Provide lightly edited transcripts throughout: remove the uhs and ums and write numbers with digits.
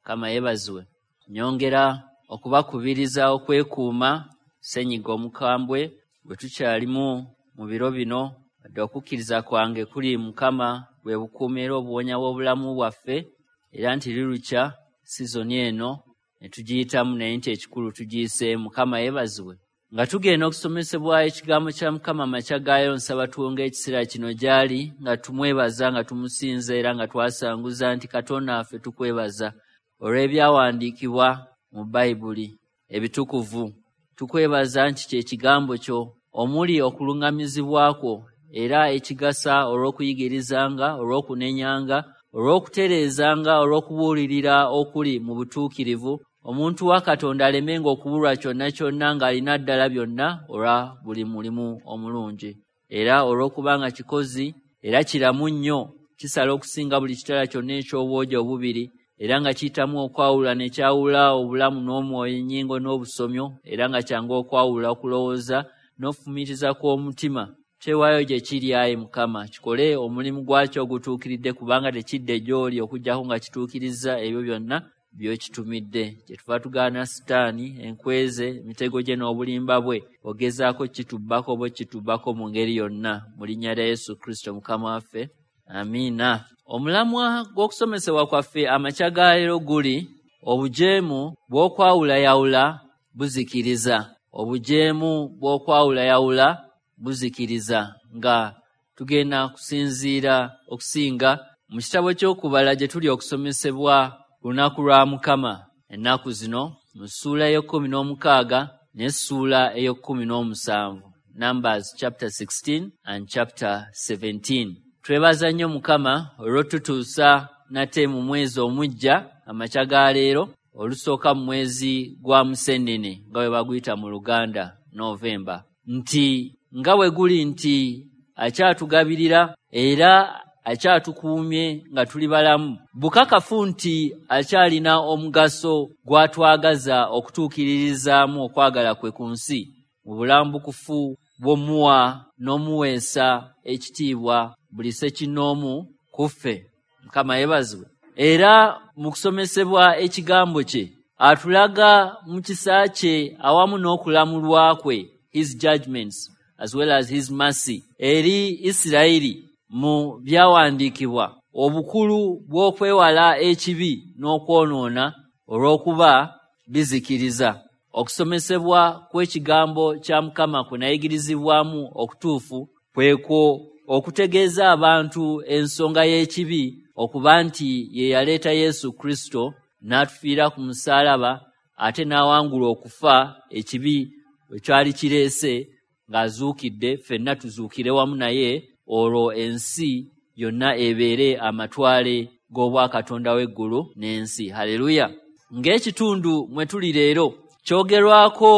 Mukama yeebazibwe. Nyongera okubakubiriza okwekuuma ssenyiga omukambwe gwe tukyalimu mu biro bino. Wadde okukkiriza kwange kuli Mukama bwe bukuumi era obuwonya bw'obulamu bwaffe, era nti lirukya sizoni eno ne tugiyitamu, naye nti ekikulu tugiyiseemu. Mukama yeebazibwe. Nga tugenda okusomesebwa ekigambo kya Mukama amakya gaayo, nsaba tuwonge ekiseera kino gy'ali nga tumwebaza, nga tumusinza era nga twasanguza nti Katonda waffe tukwebaza olw'ebyawandiikibwa mu Bayibuli ebitukuvu. Tukwebaza nti kye kigambo kyo omuli okuluŋŋamizibwa kwo era ekigasa olw'okuyigirizanga, olw'okunenyanga, olw'okutereezanga, olw'okubuulirira okuli mu butuukirivu, omuntu wa Katonda alemenga okubulwa kyonna kyonna ng'alina ddala byonna olwa buli mulimu omulungi. Era olw'okubanga kikozi era kiramu nnyo, kisala okusinga buli kitala kyonna eky'obwogi obubiri, era nga kiyitamu okwawula ne kyawula obulamu n'omwoyo, ennyingo n'obusomyo, era nga kyangu okwawula okulowooza n'okufumiitiriza kw'omutima. Twewaayo gye kiri, ayi Mukama, kikole omulimu gwakyo ogutuukiridde, kubanga tekidde gy'oli okuggyako nga kituukirizza ebyo byonna by'okitumidde. Kyetuva tugaana Sitaani, enkweze, emitego gye n'obulimba bwe, ogezaako kitubbako oba okitubbako mu ngeri yonna. Mu linnya lya Yesu Kristo Mukama waffe, amiina. Omulamwa gw'okusomesebwa kwaffe amakya ga leero guli obujeemu bw'okwawulayawula buzikiriza. Obujeemu bw'okwawulayawula buzikiriza, nga tugenda kusinziira okusinga mu kitabo ky'okubala gye tuli okusomesebwa ku lunaku lwa Mukama ennaku zino, mu ssuula ey'ekkumi n'omukaaga n'essuula ey'ekkumi n'omusanvu, Numbers chapter 16 and chapter 17. Twebaza nnyo Mukama olw'otutuusa nate mu mwezi omuggya amakya ga leero, olusooka mu mwezi gwa Musennene, nga bwe baguyita mu Luganda Novemba, nti nga bwe guli nti akyatugabirira era akyatukuumye nga tuli balamu, bukakafu nti akyalina omugaso gw'atwagaza okutuukiririzaamu okwagala kwe ku nsi mu bulambukufu bw'omuwa n'omuweesa ekitiibwa buli ssekinnoomu ku ffe. Mukama yeebazibwe. Era mu kusomesebwa ekigambo kye atulaga mu kisa kye awamu n'okulamulwa kwe, his judgments as well as his mercy, eri Isirayiri mu byawandiikibwa, obukulu bw'okwewala ekibi n'okwonoona olw'okuba bizikiriza. Okusomesebwa kw'ekigambo kya Mukama kwe nayigirizibwamu okutuufu kwekwo okutegeeza abantu ensonga y'ekibi okuba nti ye yaleeta Yesu Kristo n'atufiira ku musaalaba, ate n'awangula okufa ekibi bwe kyali kireese, ng'azuukidde, ffenna tuzuukire wamu naye, olwo ensi yonna ebeere amatwale g'obwakatonda w'eggulu n'ensi. Haleluya! Ng'ekitundu mwe tuli leero kyogerwako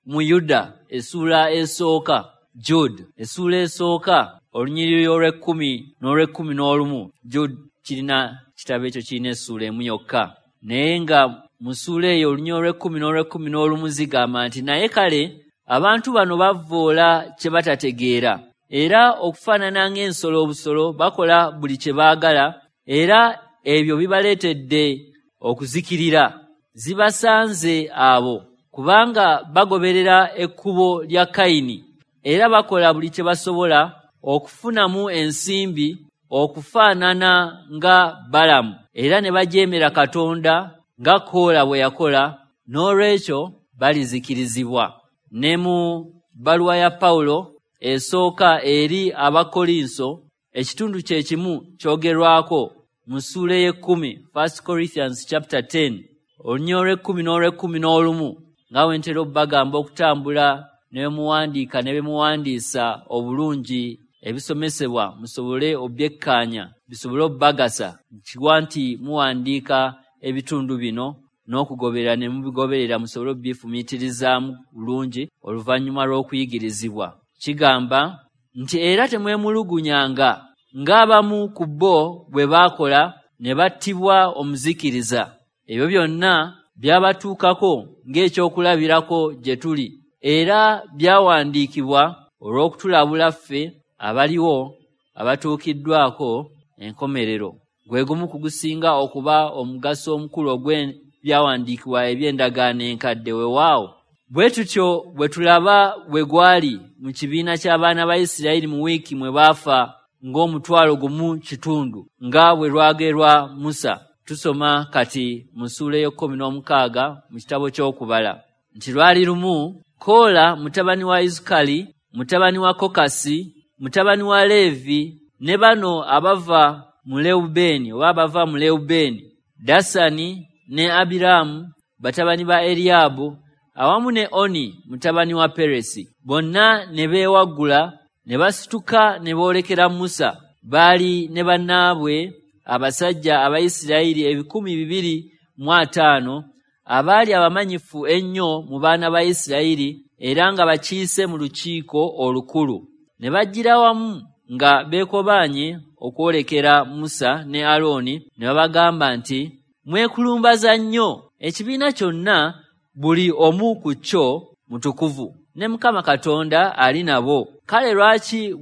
mu Yuda essuula esooka, Jude essuula esooka, olunyiriri olw'ekkumi n'olw'ekkumi n'olumu. Jude kirina kitabo ekyo kirina essuula emu yokka, naye nga mu ssuula eyo olunyiriri olw'ekkumi n'olw'ekkumi n'olumu zigamba nti, "Naye kale abantu bano bavvoola kye batategeera, era okufaanana ng'ensolo obusolo bakola buli kye baagala, era ebyo bibaleetedde okuzikirira. Zibasanze abo, kubanga bagoberera ekkubo lya Kayini, era bakola buli kye basobola okufunamu ensimbi okufaanana nga Balamu, era ne bajeemera Katonda nga Koola bwe yakola. N'olwekyo balizikirizibwa." Ne mu bbaluwa ya Pawulo esooka eri Abakkolinso, ekitundu kye kimu kyogerwako mu ssuula ey'ekkumi, First Corinthians chapter 10, olunyiriri olw'ekkumi n'olw'ekkumi n'olumu, nga bwe ntera obbagamba okutambula ne bwe muwandiika ne bwe muwandiisa obulungi ebisomesebwa, musobole obyekkaanya bisobole obbagasa. Kiwa nti muwandiika ebitundu bino n'okugoberera ne mubigoberera, musobole obbifumiitirizaamu bulungi oluvannyuma lw'okuyigirizibwa. Kigamba nti, "Era temwemulugunyanga ng'abamu ku bo bwe baakola ne battibwa omuzikiriza. Ebyo byonna byabatuukako ng'ekyokulabirako gye tuli, era byawandiikibwa olw'okutulabula ffe abaliwo abatuukiddwako enkomerero." Gwe gumu ku gusinga okuba omugaso omukulu ogw'ebyawandiikibwa eby'endagaano enkadde. Weewaawo bwe tutyo bwe tulaba bwe gwali mu kibiina ky'abaana ba Isirayiri mu wiiki mwe baafa ng'omutwalo 1.5 nga bwe lwagerwa Musa. Tusoma kati mu ssuula ey'e16 mu kitabo ky'Okubala nti lwali lumu Koola mutabani wa Izukali, mutabani wa Kokasi, mutabani wa Leevi, ne bano abava mu Lewubeeni oba abava mu Lewubeeni, Dasani ne Abiraamu batabani ba Eriyaabu, awamu ne Oni mutabani wa Peresi, bonna ne beewaggula ne basituka ne boolekera Musa. Baali ne bannaabwe abasajja Abayisirayiri 250 abaali abamanyifu ennyo mu baana ba Isirayiri era nga bakiise mu lukiiko olukulu. Ne bajjira wamu nga beekobaanye okwolekera Musa ne Alooni, ne babagamba nti, mwekulumbaza nnyo, ekibiina kyonna buli omu ku kyo mutukuvu, ne Mukama Katonda ali nabo. Kale lwaki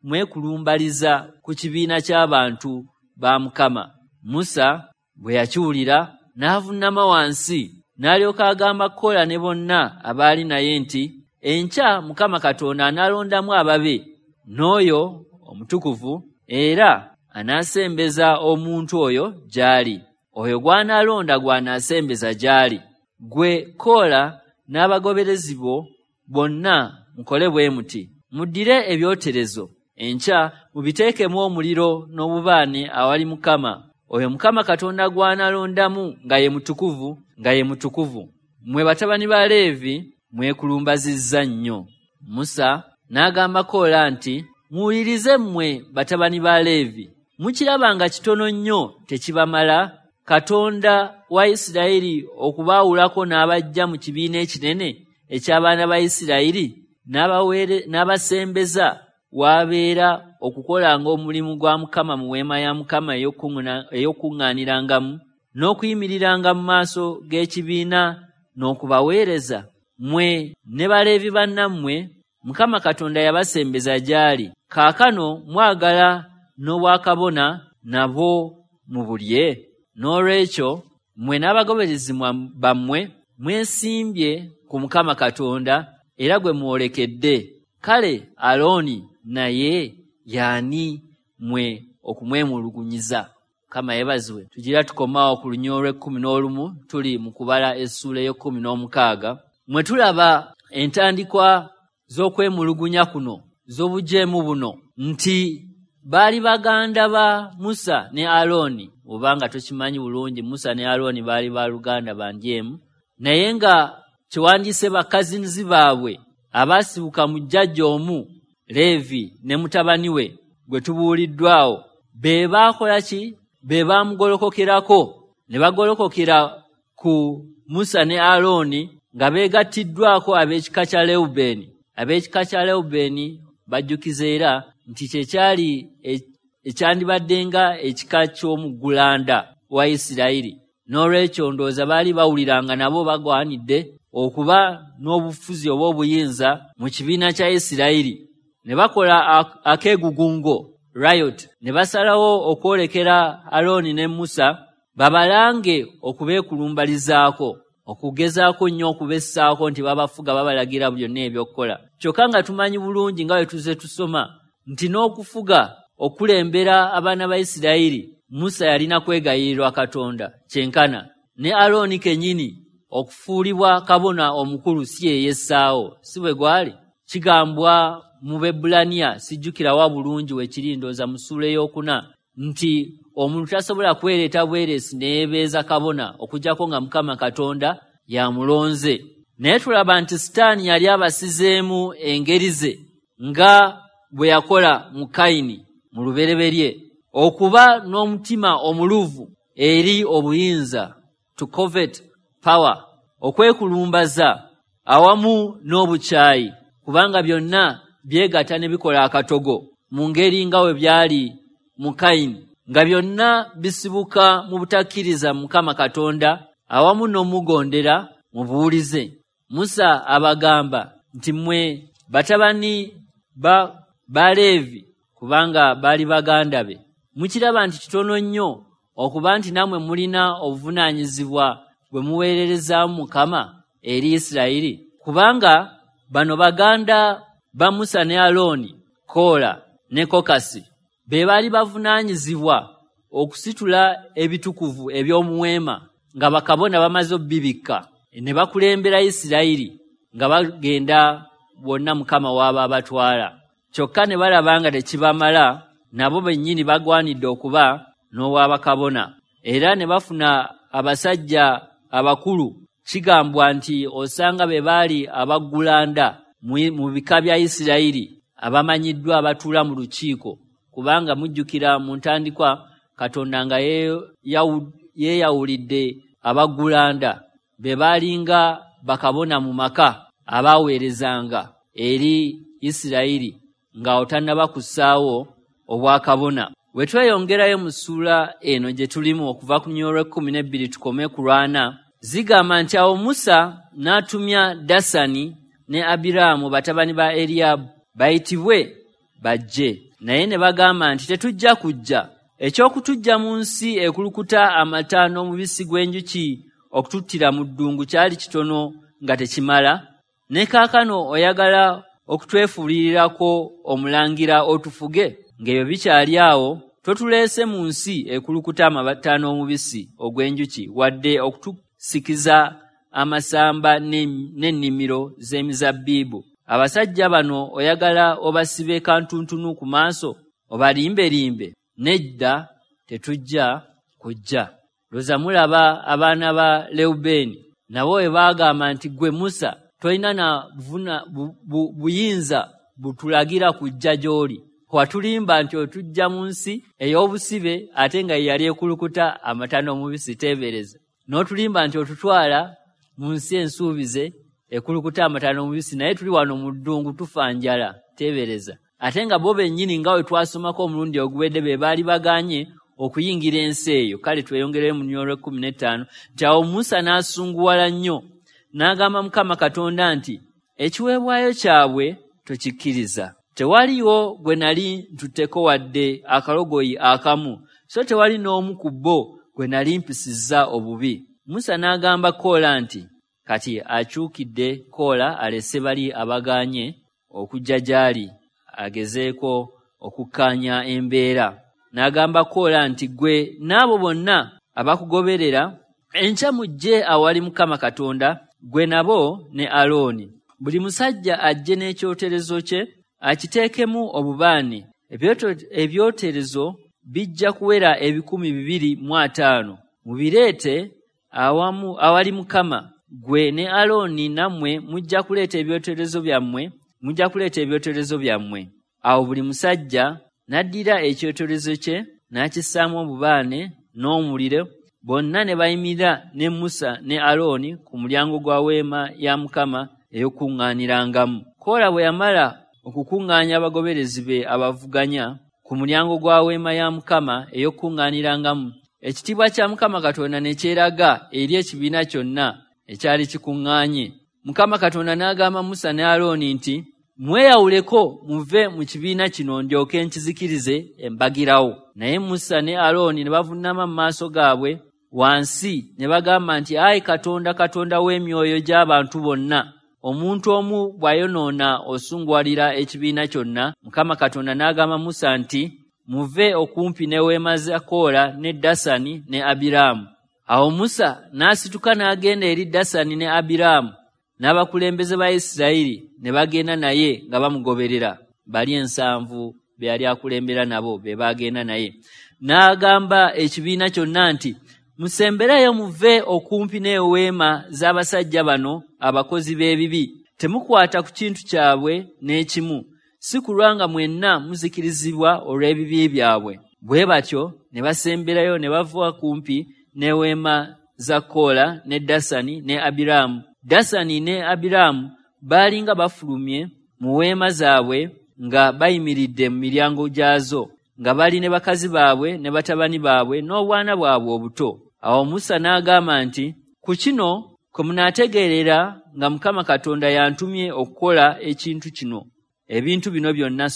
mwekulumbaliza ku kibiina ky'abantu ba Mukama? Musa bwe yakiwulira n'avunnama wansi, n'alyoka agamba Koola ne bonna abaali naye nti, enkya Mukama Katonda anaalondamu ababe n'oyo omutukuvu, era anaasembeza omuntu oyo gy'ali. Oyo gw'anaalonda gw'anaasembeza gy'ali. Ggwe Koola n'abagoberezi bo bonna mukole bwe muti: muddire ebyoterezo enkya mubiteekemu omuliro n'obubaane awali Mukama. Oyo Mukama Katonda gw'anaalondamu nga ye mutukuvu, nga ye mutukuvu. Mmwe batabani ba Leevi mwekulumbazizza nnyo. Musa n'agamba Koola nti, muwulirize mmwe batabani ba Leevi, mukiraba nga kitono nnyo tekibamala Katonda wa Isirayiri okubaawulako n'abajja mu kibiina ekinene eky'abaana ba Isirayiri n'abasembeza w'abeera okukolanga omulimu gwa Mukama mu weema ya Mukama ey'okuŋŋaanirangamu n'okuyimiriranga mu maaso g'ekibiina n'okubaweereza. Mmwe ne Baleevi bannammwe Mukama Katonda yabasembeza gy'ali. Kaakano mwagala n'obwakabona nabwo mubulye. N'olwekyo mmwe n'abagoberezi bammwe mwesimbye ku Mukama Katonda era gwe mwolekedde. Kale Alooni naye y'ani mmwe okumwemulugunyiza? Mukama yeebazibwe. Tugira tukomaawo ku lunyiriri olw'e11, tuli mu kubala essuula ey'e16 mwe tulaba entandikwa z'okwemulugunya kuno, z'obujeemu buno, nti baali baganda ba Musa ne Alooni. Obanga tokimanyi bulungi, Musa ne Alooni baali baluganda bandyemu, naye nga kyewandiise bakazinzi baabwe abaasibuka mu jjajja omu Leevi ne mutabani we gwe tubuuliddwawo, be baakola ki? Be baamugolokokerako ne bagolokokera ku Musa ne Alooni nga beegattiddwako ab'ekika kya Lewubeeni. Ab'ekika kya Lewubeeni bajjukiza era nti kye kyali ekyandibadde nga ekika ky'omuggulanda wa Isirayiri. N'olwekyo ndowooza baali bawuliranga nabo bagwanidde okuba n'obufuzi oba obuyinza mu kibiina kya Isirayiri. Ne bakola akeegugungo, riot, ne basalawo okwolekera Alooni ne Musa babalange okubeekulumbalizaako, okugezaako nnyo okubessaako nti babafuga, babalagira byonna ebyokukola. Kyokka nga tumanyi bulungi nga bwe tuzze tusoma nti n'okufuga okulembera abaana ba Isirayiri Musa yalina kwegayirirwa Katonda kyenkana. Ne Alooni kennyini okufuulibwa kabona omukulu si ye yessaawo, si bwe gwali? Kigambwa mu Bebbulaniya, sijjukirawa bulungi we kiri, ndowooza mu ssuula 4, nti omuntu tasobola kwereeta bwereesi ne yeebeeza kabona okuggyako nga Mukama Katonda y'amulonze. Naye tulaba nti Sitaani yali abasizeemu engeri ze nga bwe yakola mu Kayini mu lubereberye, okuba n'omutima omuluvu eri obuyinza, to covet power, okwekulumbaza awamu n'obukyayi, kubanga byonna byegatta ne bikola akatogo mu ngeri nga bwe byali mu Kayini, nga byonna bisibuka mu butakkiriza Mukama Katonda awamu n'omugondera mu buwulize. Musa abagamba nti mmwe batabani ba Leevi, kubanga baali baganda be. Mukiraba nti kitono nnyo okuba nti nammwe mulina obuvunaanyizibwa bwe muweererezaamu Mukama eri Isirayiri, kubanga bano baganda ba Musa ne Alooni, Koola ne Kokasi, be baali bavunaanyizibwa okusitula ebitukuvu eby'omuweema nga bakabona bamaze obbibikka, ne bakulembera Isirayiri nga bagenda bonna Mukama w'aba abatwala. Kyokka ne balaba nga tekibamala, nabo bennyini bagwanidde okuba n'obwabakabona. Era ne bafuna abasajja abakulu, kigambwa nti osanga be baali abaggulanda mu bika bya Isirayiri abamanyiddwa abatuula mu lukiiko, kubanga mujjukira mu ntandikwa Katonda nga yeeyawulidde abaggulanda be baalinga bakabona mu maka abaaweerezanga eri Isirayiri nga otannaba kussaawo obwakabona. Bwe tweyongerayo mu ssuula eno gye tulimu okuva ku lunyiriri lw'e12 tukome ku lwana, zigamba nti awo Musa n'atumya Dasani ne Abiraamu batabani ba Eriyaabu bayitibwe bajje, naye ne bagamba nti tetujja kujja. Eky'okutujja mu nsi ekulukuta amata n'omubisi gw'enjuki okututtira mu ddungu kyali kitono nga tekimala. Ne kaakano oyagala okutwefuulirirako omulangira otufuge? Ng'ebyo bikyali awo, totuleese mu nsi ekulukuta amata n'omubisi ogw'enjuki, wadde okutusikiza amasamba n'ennimiro z'emizabbibu. Abasajja bano oyagala obasibe kantuntunu ku maaso, obalimberimbe? Nedda, tetujja kujja. Lowooza mulaba abaana ba Lewubeeni nabo bwe baagamba nti ggwe Musa tolina na buyinza butulagira kujja gy'oli. Watulimba nti otujja mu nsi ey'obusibe ate nga ye yali ekulukuta amata n'omubisi, teebereza. N'otulimba nti otutwala mu nsi ensuubize ekulukuta amata n'omubisi, naye tuli wano mu ddungu tufa njala, teebereza. Ate nga bo bennyini nga bwe twasomako omulundi oguwedde be baali bagaanye okuyingira ensi eyo. Kale tweyongereyo mu lunyiriri lw'e15 nti awo Musa n'asunguwala nnyo n'agamba Mukama Katonda nti ekiweebwayo kyabwe tokikkiriza. Tewaliwo gwe nali ntutteko wadde akalogoyi akamu, so tewali n'omu ku bo gwe nali mpisizza obubi. Musa n'agamba Koola nti kati akyukidde Koola alese bali abagaanye okujja gy'ali agezeeko okukkaanya embeera. N'agamba Koola nti ggwe n'abo bonna abakugoberera enkya mujje awali Mukama Katonda, ggwe nabo ne Alooni. Buli musajja ajje n'ekyoterezo kye akiteekemu obubaane. Ebyoterezo bijja kuwera 250. Mubireete awali Mukama. Ggwe ne Alooni nammwe mujja kuleeta ebyoterezo byammwe. Awo buli musajja n'addira ekyoterezo kye n'akissaamu obubaane n'omuliro, bonna ne bayimirira ne Musa ne Alooni ku mulyango gwa weema ya Mukama ey'okukuŋŋaanirangamu. Koola bwe yamala okukuŋŋaanya abagoberezi be abavuganya ku mulyango gwa weema ya Mukama ey'okukuŋŋaanirangamu, ekitiibwa kya Mukama Katonda ne kyeraga eri ekibiina kyonna ekyali kikuŋŋaanye. Mukama Katonda n'agamba Musa ne Alooni nti mweyawuleko muve mu kibiina kino ndyoke nkizikirize embagirawo. Naye Musa ne Alooni ne bavuunama mu maaso gaabwe wansi ne bagamba nti ayi Katonda, Katonda w'emyoyo gy'abantu bonna, omuntu omu bw'ayonoona osunguwalira ekibiina kyonna. Mukama Katonda n'agamba Musa nti muve okumpi ne weema za Koola ne Dasani ne Abiraamu. Awo Musa n'asituka n'agenda eri Dasani ne Abiraamu n'abakulembeze ba Isirayiri ne bagenda naye nga bamugoberera. Bali 70 be yali akulembera nabo be bagenda naye. N'agamba ekibiina kyonna nti musembereyo muve okumpi n'eweema z'abasajja bano abakozi b'ebibi. Temukwata ku kintu kyabwe n'ekimu, si kulwa nga mwenna muzikirizibwa olw'ebibi byabwe. Bwe batyo ne basemberayo ne bava kumpi n'eweema za Koola ne Dasani ne Abiraamu. Dasani ne Abiraamu baalinga bafulumye mu weema zaabwe nga bayimiridde mu miryango gyazo, nga bali ne bakazi baabwe ne batabani baabwe n'obwana bwabwe obuto. Awo Musa n'agamba nti ku kino kwe munaategeerera nga Mukama Katonda yantumye okukola ekintu kino, ebintu bino byonna.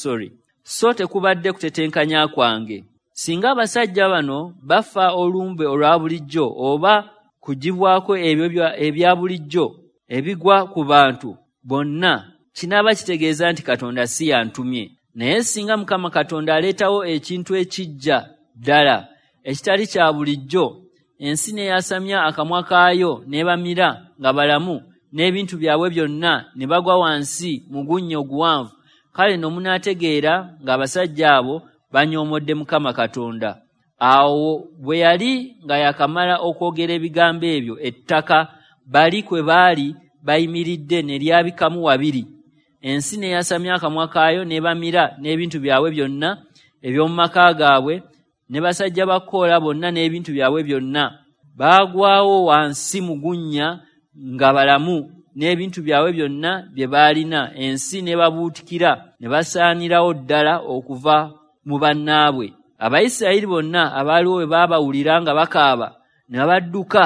so tekubadde kutetenkanya kwange. Singa abasajja bano bafa olumbe olwa bulijjo oba kugibwako ebyo ebya bulijjo ebigwa ku bantu bonna, kinaaba kitegeeza nti Katonda si yantumye. Naye singa Mukama Katonda aleetawo ekintu ekijja ddala ekitali kya bulijjo, ensi neyasamya akamwa kaayo n'ebamira nga balamu n'ebintu byabwe byonna ne bagwa wansi mu gunnya oguwanvu, kale nno munaategeera ng'abasajja abo banyoomodde Mukama Katonda. Awo bwe yali nga yakamala okwogera ebigambo ebyo, ettaka bali kwe baali bayimiridde ne lyabikamu wabiri. Ensi neyasamya akamwa kaayo n'ebamira n'ebintu byabwe byonna eby'omu maka gaabwe ne basajja ba Koola bonna n'ebintu byabwe byonna. Baagwawo wansi mu gunnya nga balamu n'ebintu byabwe byonna bye baalina. Ensi n'ebabuutikira ne basaanirawo ddala okuva mu bannaabwe. Abayisirayiri bonna abaaliwo bwe baabawulira nga bakaaba ne babadduka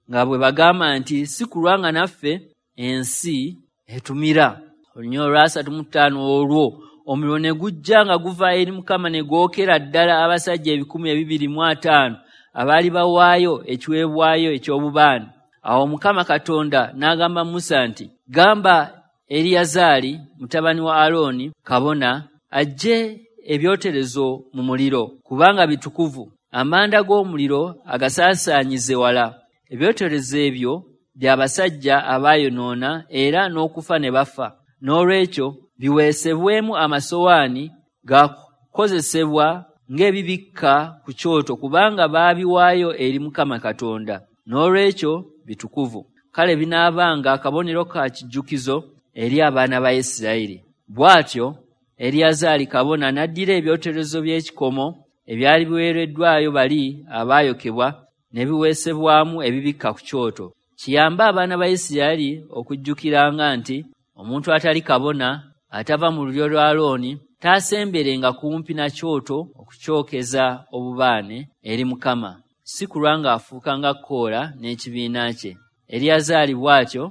nga bwe bagamba nti, si kulwa nga naffe ensi etumira. Olunyiriri olwa 35 olwo omuliro ne gujja nga guva eri Mukama ne gwokera ddala abasajja 250 abaali bawaayo ekiweebwayo eky'obubaane. Awo Mukama Katonda n'agamba Musa nti, gamba Eriyazaali mutabani wa Alooni kabona aggye ebyoterezo mu muliro, kubanga bitukuvu. Amanda g'omuliro agasaasaanyize wala. Ebyoterezo ebyo by'abasajja abaayonoona era n'okufa ne bafa. N'olwekyo biweesebwemu amasowaani gakozesebwa ng'ebibikka ku kyoto, kubanga baabiwaayo eri Mukama Katonda. N'olwekyo bitukuvu. Kale binaabanga akabonero ka kijjukizo eri abaana ba Isirayiri. Bw'atyo Eriyazaali kabona n'addira ebyoterezo by'ekikomo ebyali biweereddwayo bali abaayokebwa ne biweesebwamu ebibikka ku kyoto, kiyambe abaana ba Isirayiri okujjukiranga nti omuntu atali kabona atava mu lulyo lwa Alooni taasemberenga kumpi na kyoto okukyokeza obubaane eri Mukama, si kulwa ng'afuuka nga Koola n'ekibiina kye. Eriyazaali bw'atyo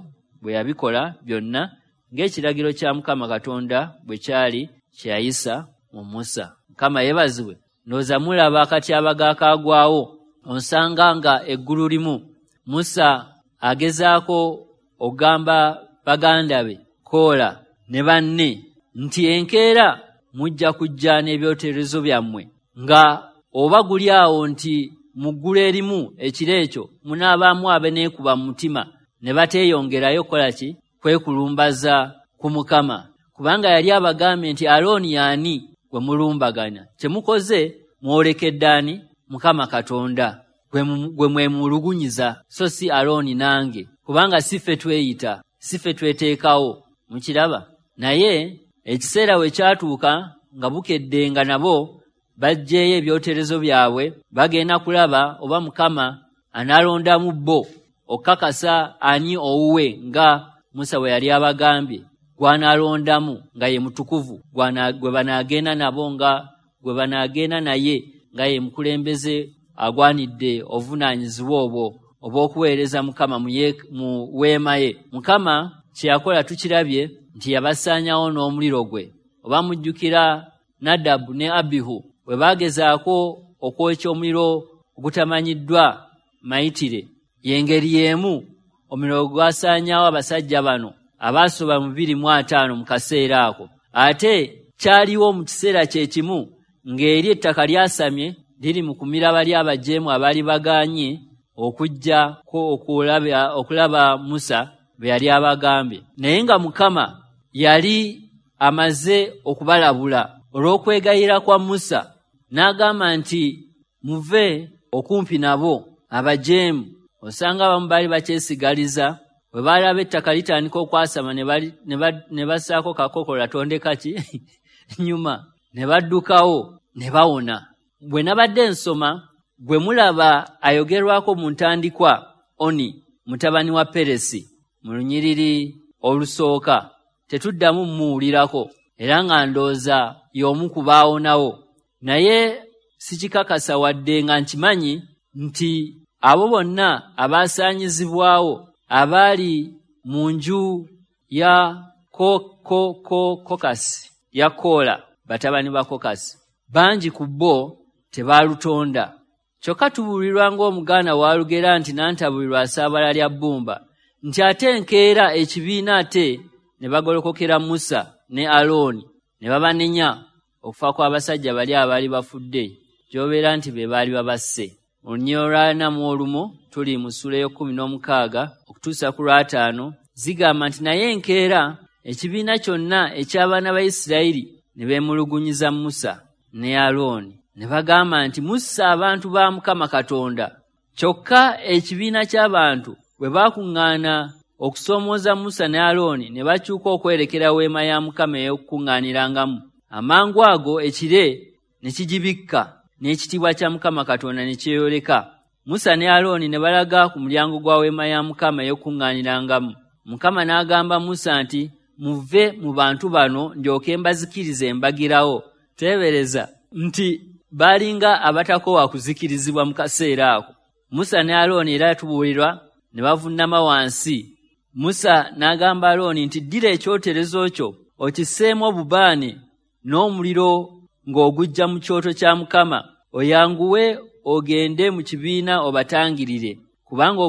bwe yabikola byonna ng'ekiragiro kya Mukama Katonda bwe kyali kye yayisa mu Musa. Mukama yeebazibwe. Ndowooza mulaba akatyabaga akaagwawo. Onsanga nga eggulu limu Musa agezaako okugamba baganda be Koola ne banne nti enkeera mujja kujja n'ebyoterezo byammwe, nga oba guli awo nti mu ggulu erimu ekiro ekyo munaabaamu abeneekuba mu mutima ne bateeyongerayo kukola ki? Kwekulumbaza ku Mukama. Kubanga yali abagambye nti Alooni y'ani gwe mulumbaganya? Kye mukoze mwolekedde ani? Mukama Katonda gwe mwemulugunyiza, so si Alooni nange, kubanga si ffe tweyita, si ffe tweteekawo. Mukiraba? Naye ekiseera we kyatuuka nga bukedde nga nabo baggyeyo ebyoterezo byabwe, bagenda kulaba oba Mukama anaalondamu bo okukakasa ani owuwe nga Musa bwe yali abagambye gw'anaalondamu nga ye mutukuvu, gwe banaagenda nabo nga gwe banaagenda naye nga ye mukulembeze agwanidde obuvunaanyizibwa obwo obw'okuweereza Mukama mu weema ye. Mukama kye yakola tukirabye nti yabasaanyawo n'omuliro gwe. Oba mujjukira Nadabu ne Abihu bwe baagezaako okwokya omuliro ogutamanyiddwa mayitire, y'engeri y'emu omuliro gwasaanyaawo abasajja bano abaasoba mu 250 mu kaseera ako. Ate kyaliwo mu kiseera kye kimu ng'eri ettaka lyasamye liri mu kumira bali abajeemu abaali bagaanye okujjako okulaba Musa bwe yali abagambye. Naye nga Mukama yali amaze okubalabula olw'okwegayira kwa Musa, n'agamba nti muve okumpi nabo abajeemu. Osanga abamu baali bakyesigaliza bwe baalaba ettaka litandika okwasama ne bassaako kakokola tondeka ki nyuma ne baddukawo ne bawona. Bwe nabadde nsoma gwe mulaba ayogerwako mu ntandikwa Oni mutabani wa Peresi mu lunyiriri olusooka, tetuddamu mmuwulirako era nga ndowooza y'omu ku baawonawo. Naye sikikakasa wadde nga nkimanyi nti abo bonna abaasaanyizibwawo abaali mu nju ya Kokasi ya Koola batabani ba Kokasi. Bangi ku bo tebaalutonda. Kyokka tubuulirwa ng'Omuganda w'alugera nti nantabulirwa asaabala lya bbumba, nti ate enkeera ekibiina ate ne bagolokokera Musa ne Alooni ne babanenya okufa kw'abasajja bali abaali bafudde, gy'obeera nti be baali babasse. Mu lunyiriri olwa 41 tuli mu ssuula ey'e16 okutuusa ku lwa 5, zigamba nti naye enkeera ekibiina kyonna eky'abaana ba Isirayiri ne beemulugunyiza Musa ne Alooni ne bagamba nti musse abantu ba Mukama Katonda. Kyokka ekibiina ky'abantu bwe baakuŋŋaana okusoomooza Musa ne Alooni ne bakyuka okwerekera weema ya Mukama ey'okukuŋŋaanirangamu, amangu ago ekire ne kigibikka n'ekitiibwa kya Mukama Katonda ne kyeyoleka. Musa ne Alooni ne balaga ku mulyango gwa weema ya Mukama ey'okukuŋŋaanirangamu. Mukama n'agamba Musa nti muve mu bantu bano ndyoke mbazikirize mbagirawo. Teebereza nti baalinga abatakoowa kuzikirizibwa mu kaseera ako. Musa ne Alooni era tubuulirwa ne bavunnama wansi. Musa n'agamba Alooni nti ddira ekyoterezo kyo okisseemu obubaane n'omuliro ng'oguggya mu kyoto kya Mukama, oyanguwe ogende mu kibiina obatangirire, kubanga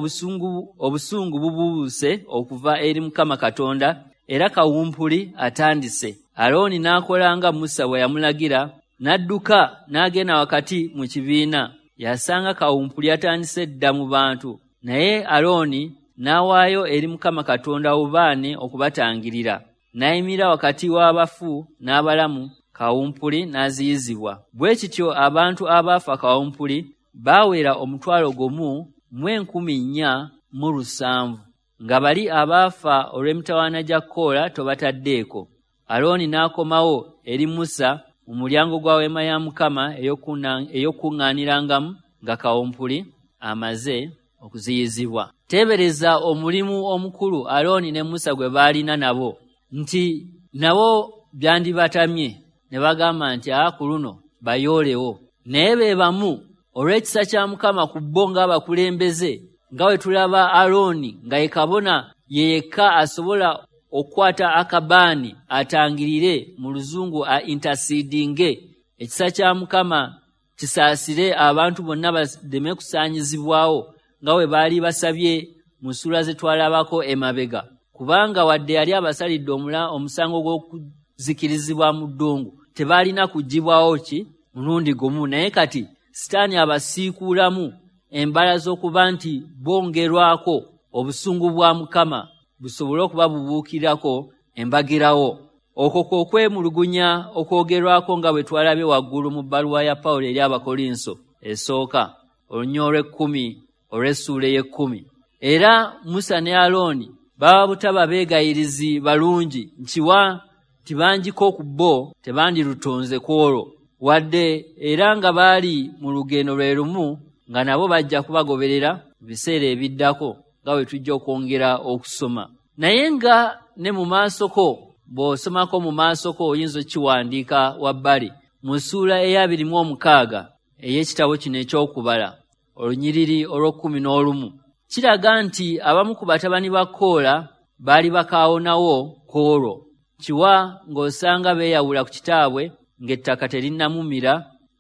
obusungu bubuuse okuva eri Mukama Katonda, era kawumpuli atandise. Alooni n'akola nga Musa bwe yamulagira, n'adduka n'agenda wakati mu kibiina. Yasanga kawumpuli atandise dda mu bantu, naye Alooni n'awaayo eri Mukama Katonda obubaane okubatangirira. N'ayimirira wakati w'abafu n'abalamu, kawumpuli n'aziyizibwa. Bwe kityo abantu abaafa kawumpuli baawera 14,700, nga bali abaafa olw'emitawaana gya Koola tobataddeeko. Alooni n'akomawo eri Musa mu mulyango gwa weema ya Mukama ey'okukuŋŋaanirangamu nga kawumpuli amaze okuziyizibwa. Teebereza omulimu omukulu Alooni ne Musa gwe baalina nabo, nti nabo byandibatamye ne bagamba nti ku luno bayoolewo. Naye be bamu olw'ekisa kya Mukama ku bo ng'abakulembeze, nga bwe tulaba Alooni nga ye kabona ye yekka asobola okukwata akabaani atangirire, mu luzungu a intercedinge. Ekisa kya Mukama kisaasire abantu bonna baleme kusaanyizibwawo nga bwe baali basabye mu ssuula ze twalabako emabega, kubanga wadde yali abasalidde omusango gw'okuzikirizibwa mu ddungu, tebaalina kuggyibwawo ki mulundi gumu. Naye kati Sitaani abasiikuulamu embala z'okuba nti bongerwako obusungu bwa Mukama busobole okuba bubuukirako embagirawo. Okwo kwe okwemulugunya okwogerwako nga bwe twalabye waggulu mu bbaluwa ya Pawulo eri Abakolinso esooka, olunyiriri olw'ekkumi olw'essuula ey'ekkumi. Era Musa ne Alooni baba butaba beegayirizi balungi, nkiwa nti bangiko ku bo tebandirutonze ku olwo, wadde era nga baali mu lugendo lwe lumu nga nabo bajja kubagoberera mu biseera ebiddako nga bwe tujja okwongera okusoma. Naye nga ne mu maasoko, bw'osomako mu maasoko oyinza okukiwandiika wabbali mu ssuula eya 26 ey'ekitabo kino eky'okubala, olunyiriri olw'e11, kiraga nti abamu ku batabani ba Koola baali bakaawonawo ku olwo. Kiwa ng'osanga beeyawula ku kitaabwe ng'ettaka terinnamumira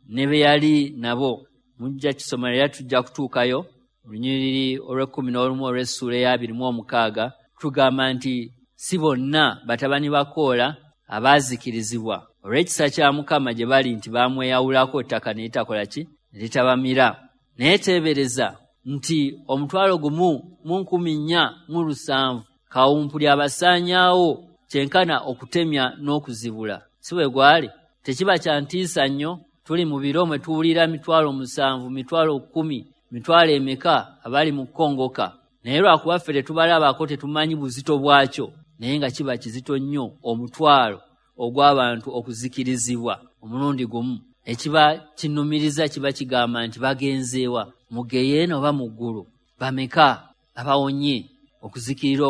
ne be yali nabo. Mujja kisoma era tujja kutuukayo. Olunyiriri olw'e11 olw'essuula eya 26 tugamba nti si bonna batabani ba Koola abaazikirizibwa olw'ekisa kya Mukama gye bali nti baamweyawulako ettaka ne litakola ki, ne litabamira. Naye teebereza nti 14,700 kawumpuli abasaanyaawo kyenkana okutemya n'okuzibula. Si bwe gwali? Tekiba kya ntiisa nnyo? Tuli mu biro mwe tuwulira 7,000, 10,000, mitwalo emeka abali mu kkongoka. Naye lwakuba ffe tetubalabako tetumanyi buzito bwakyo, naye nga kiba kizito nnyo omutwalo ogw'abantu okuzikirizibwa omulundi gumu. Ekiba kinumiriza kiba kigamba nti bagenzeewa, mu ggeyeena oba mu ggulu? Bameka abawonye okuzikirira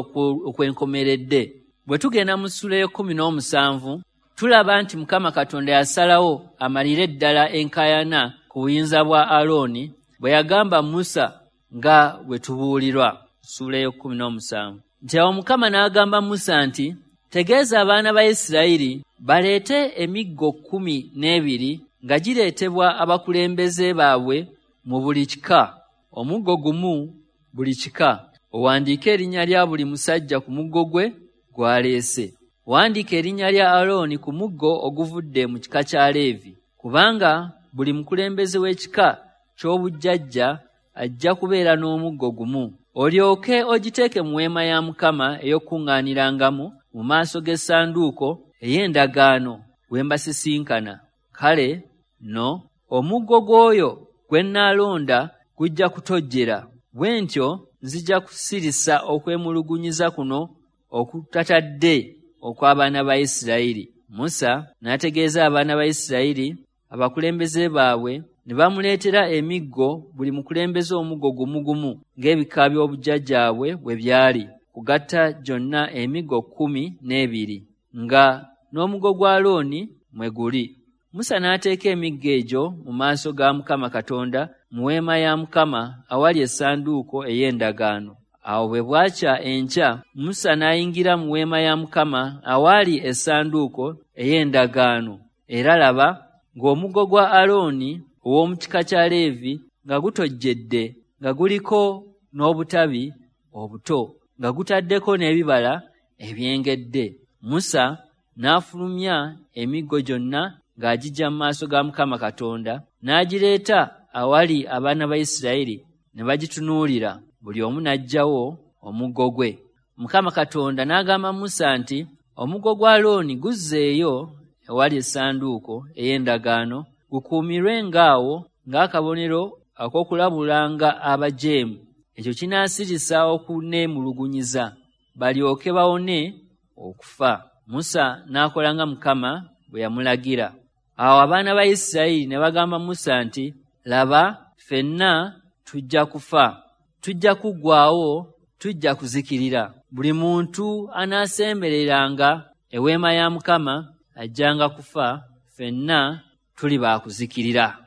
okwenkomeredde? Bwe tugenda mu ssuula ey'e17 tulaba nti Mukama Katonda yasalawo amalire ddala enkaayana ku buyinza bwa Alooni bwe yagamba Musa nga bwe tubuulirwa. Ssuula ey'e17 nti awo Mukama n'agamba Musa nti tegeeza abaana ba Isirayiri Baleete emiggo 12 nga gireetebwa abakulembeze baabwe mu buli kika, omuggo gumu buli kika. Owandiike erinnya lya buli musajja ku muggo gwe gw'aleese. Wandiika erinnya lya Alooni ku muggo oguvudde mu kika kya Leevi, kubanga buli mukulembeze w'ekika ky'obujjajja ajja kubeera n'omuggo gumu. Olyoke ogiteeke mu weema ya Mukama ey'okukuŋŋaanirangamu mu maaso g'essanduuko ey'endagaano we mbasisinkana. Kale nno omuggo gw'oyo gwe nnaalonda gujja kutojjera. Bwe ntyo nzija kusirisa okwemulugunyiza kuno okutatadde okw'abaana ba Isirayiri. Musa n'ategeeza abaana ba Isirayiri abakulembeze baabwe, ne bamuleetera emiggo, buli mukulembeze omuggo gumu gumu ng'ebika by'obujjajjaabwe bwe byali, kugatta gyonna emiggo 12, nga n'omuggo gwa Alooni mwe guli. Musa n'ateeka emiggo egyo mu maaso ga Mukama Katonda mu weema ya Mukama awali essanduuko ey'endagaano. Awo bwe bwakya enkya, Musa n'ayingira mu weema ya Mukama awaali essanduuko ey'endagaano, era laba ng'omuggo gwa Alooni ow'omu kika kya Leevi nga gutojjedde, nga guliko n'obutabi obuto, nga gutaddeko n'ebibala ebyengedde. Musa n'afulumya emiggo gyonna ng'agiggya mu maaso ga Mukama Katonda, n'agireeta awali abaana ba Isirayiri, ne bagitunuulira, buli omu n'aggyawo omuggo gwe. Mukama Katonda n'agamba Musa nti, Omuggo gwa Alooni guzzeeyo ewali essanduuko ey'endagaano, gukuumirwe ng'awo ng'akabonero ak'okulabulanga abajeemu. Ekyo kinaasirisa okuneemulugunyiza, balyoke bawone okufa. Musa n'akola nga Mukama bwe yamulagira. Awo abaana ba Isirayiri ne bagamba Musa nti, Laba, ffenna tujja kufa, tujja kuggwaawo, tujja kuzikirira. Buli muntu anaasembereranga eweema ya Mukama ajjanga kufa, ffenna tuli baakuzikirira.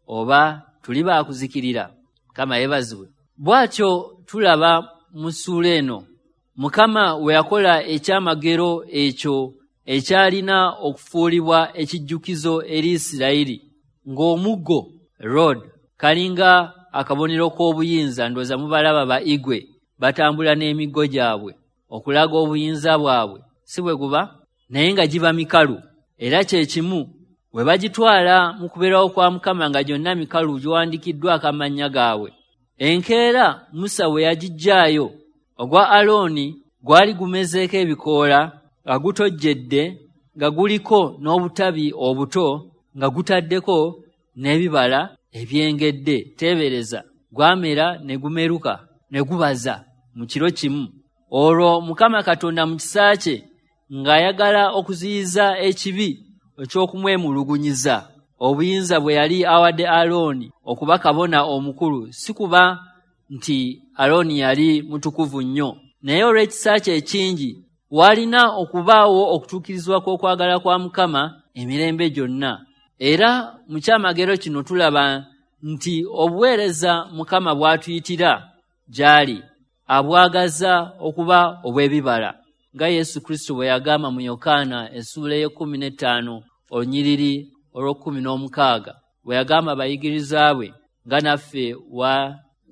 Oba tuli baakuzikirira. Mukama yeebazibwe. Bw'atyo tulaba mu ssuula eno Mukama we yakola ekyamagero ekyo ekyalina okufuulibwa ekijjukizo eri Isirayiri, ng'omuggo rod kalinga akabonero k'obuyinza. Ndowooza mubalaba ba igwe batambula n'emiggo gyabwe okulaga obuyinza bwabwe, si bwe guba? Naye nga giba mikalu. Era kye kimu bwe bagitwala mu kubeerawo kwa Mukama nga gyonna mikalu giwandiikiddwako amannya gaabwe. Enkeera Musa bwe yagiggyaayo, ogwa Alooni gwali gumezeeko ebikoola, nga gutojjedde, nga guliko n'obutabi obuto, nga gutaddeko n'ebibala ebyengedde. Teebereza, gwamera ne gumeruka ne gubaza mu kiro kimu. Olwo Mukama Katonda mu kisa kye ng'ayagala okuziyiza ekibi eky'okumwemulugunyiza, obuyinza bwe yali awadde Alooni okuba kabona omukulu, si kuba nti Alooni yali mutukuvu nnyo, naye olw'ekisa kye ekingi waalina okubaawo okutuukirizibwa kw'okwagala kwa Mukama emirembe gyonna. Era mu kyamagero kino tulaba nti obuweereza Mukama bw'atuyitira gy'ali abwagaza okuba obw'ebibala, nga Yesu Kristo bwe yagamba mu Yokaana essuula ey'e15 olunyiriri olw'e16, bwe yagamba abayigiriza bwe, nga naffe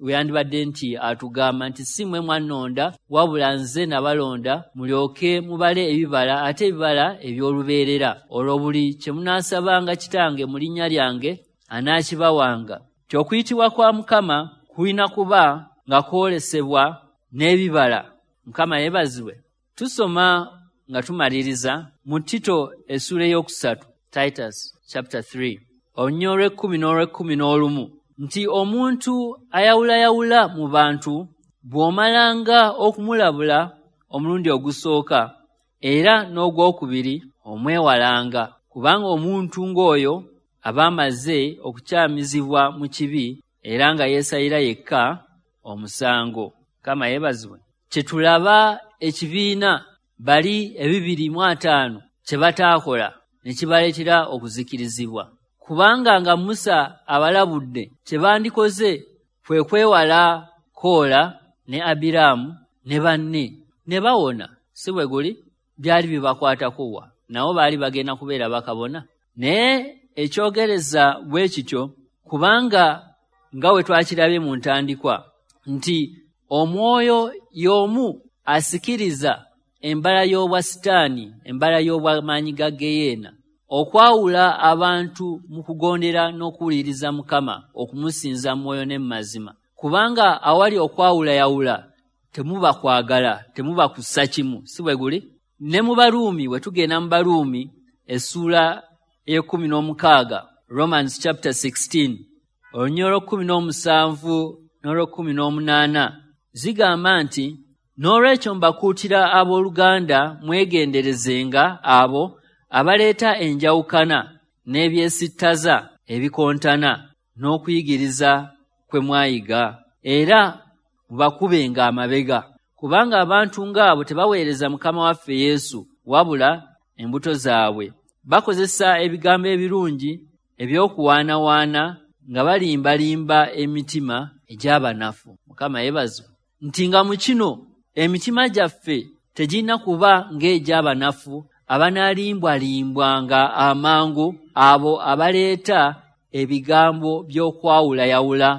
we yandibadde nti atugamba nti si mmwe mwannonda, wabula nze nabalonda mulyoke mubale ebibala, ate ebibala eby'olubeerera. Olwo buli kye munaasabanga Kitange mu linnya lyange anaakibawanga. Nti okuyitibwa kwa Mukama kulina kuba nga kwolesebwa n'ebibala. Mukama yeebazibwe. Tusoma nga tumaliriza mu Tito essuula 3, Titus chapter 3, olunyiriri olw'e10 n'olw'11, nti omuntu ayawulayawula mu bantu bw'omalanga okumulabula omulundi ogusooka era n'ogwokubiri omwewalanga, kubanga omuntu ng'oyo aba amaze okukyamizibwa mu kibi era nga yeesalira yekka omusango. Mukama yeebazibwe. Kye tulaba ekibiina bali 250 kye bataakola ne kibaleetera okuzikirizibwa, kubanga nga Musa abalabudde kye bandikoze kwe kwewala Koola ne Abiraamu ne banne ne bawona. Si bwe guli? Byali bibakwatako wa? Nabo baali bagenda kubeera bakabona. Naye ekyogereza bwe kityo, kubanga nga we twakirabye mu ntandikwa nti omwoyo y'omu asikiriza embala y'obwa sitaani, embala y'obwamaanyi ga geyeena, okwawula abantu mu kugondera n'okuwuliriza Mukama, okumusinza mwoyo ne mazima. Kubanga awali okwawulayawula temuba kwagala, temuba kussa kimu, si bwe guli? Ne mu Baruumi, we tugenda mu Baruumi essuula ey'e16, Romans chapter 16, olunyiriri 17 n'olw'e18, zigamba nti, n'olwekyo mbakuutira abooluganda mwegenderezenga abo abaleeta enjawukana n'ebyesittaza ebikontana n'okuyigiriza kwe mwayiga, era mubakubenga amabega, kubanga abantu ng'abo tebaweereza Mukama waffe Yesu, wabula embuto zaabwe. Bakozesa ebigambo ebirungi eby'okuwaanawaana nga balimbalimba emitima egy'abanafu. Mukama yeebazibwe nti nga mu kino emitima gyaffe tegirina kuba ng'egy'abanafu abanaalimbwalimbwanga amangu abo abaleeta ebigambo by'okwawulayawula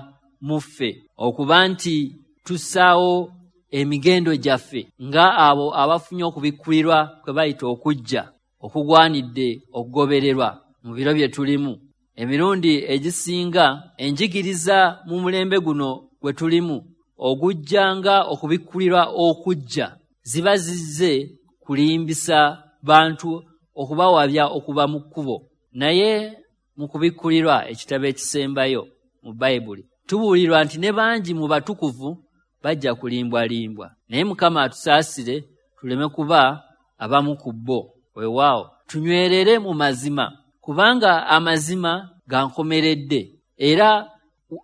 mu ffe, okuba nti tussaawo emigendo gyaffe nga abo abafunye okubikkulirwa kwe bayita okujja okugwanidde okugobererwa mu biro bye tulimu. Emirundi egisinga enjigiriza mu mulembe guno gwe tulimu ogujja nga okubikkulirwa okujja ziba zizze kulimbisa bantu, okubawabya okuba mu kkubo. Naye mu kubikkulirwa, ekitabo ekisembayo mu Bayibuli, tubuulirwa nti ne bangi mu batukuvu bajja kulimbwalimbwa. Naye Mukama atusaasire tuleme kuba abamu ku bo. Weewaawo tunywerere mu mazima, kubanga amazima gankomeredde, era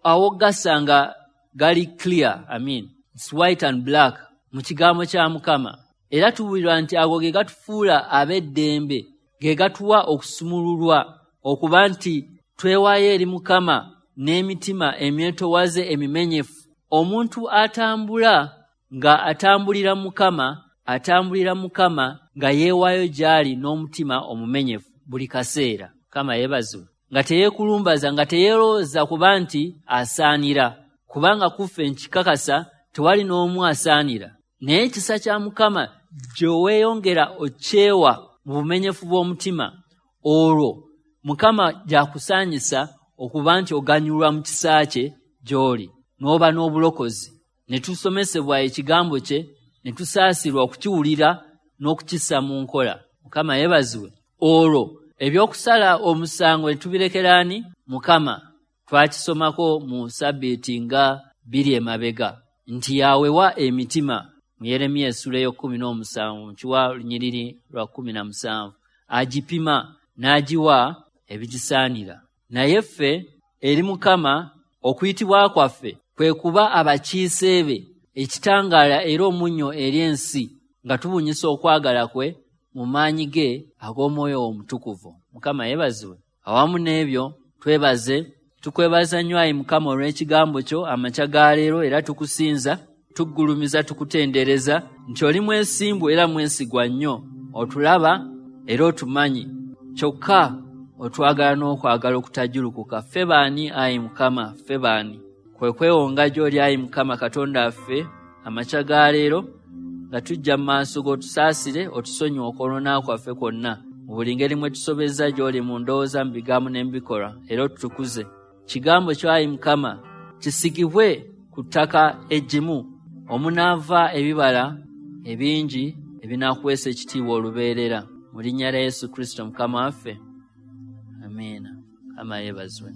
awo gasanga gali clear, I mean, it's white and black mu kigambo kya Mukama. Era tubuulirwa nti ago ge gatufuula ab'eddembe, ge gatuwa okusumululwa okuba nti twewaayo eri Mukama n'emitima emyetowaze emimenyefu. Omuntu atambula nga atambulira Mukama, atambulira Mukama nga yeewaayo gy'ali n'omutima omumenyefu buli kaseera. Mukama yeebazibwe, nga teyeekulumbaza, nga teyeerowooza kuba nti asaanira, kubanga kuffe nkikakasa tewali n'omu asaanira. Naye ekisa kya Mukama gye weeyongera okyewa mu bumenyefu bw'omutima, olwo Mukama gy'akusaanyisa okuba nti oganyulwa mu kisa kye gy'oli, n'oba n'obulokozi. Ne tusomesebwa ekigambo kye, ne tusaasirwa okukiwulira n'okukissa mu nkola. Mukama yeebazibwe. Olwo ebyokusala omusango ne tubirekera ani? Mukama. Twakisomako mu sabbiiti nga 2 emabega nti yawewa emitima mu Yeremiya essula ey'e17 mu kiwa lunyiriri lwa 17, agipima n'agiwa ebigisaanira. Naye ffe eri Mukama okuyitibwa kwaffe kwe kuba abakiise be, ekitangaala era omunnyo eri ensi, nga tubunyisa okwagala kwe mu maanyi ge ag'omwoyo omutukuvu. Mukama yeebazibwe. Awamu n'ebyo twebaze, tukwebaza nnyo ayi Mukama olw'ekigambo kyo amakya ga leero, era tukusinza, tuggulumiza, tukutendereza nti oli mwesimbu era mwesigwa nnyo, otulaba era otumanyi, kyokka otwagala n'okwagala okutajjulukuka. Ffe baani ayi Mukama? Ffe baani? Kwe kwewonga gy'oli ayi Mukama Katonda waffe amakya ga leero, nga tujja mu maaso g'otusaasire, otusonyiwe okwonoona kwaffe kwonna mu buli ngeri mwe tusobezza gy'oli mu ndowooza, mu bigambo ne mu bikolwa, era otutukuze. Kigambo kyo ayi Mukama kisigibwe ku ttaka eggimu omunaava ebibala ebingi ebinaakuweesa ekitiibwa olubeerera. Mu linnya lya Yesu Kristo Mukama waffe, amiina. Mukama yeebazibwe.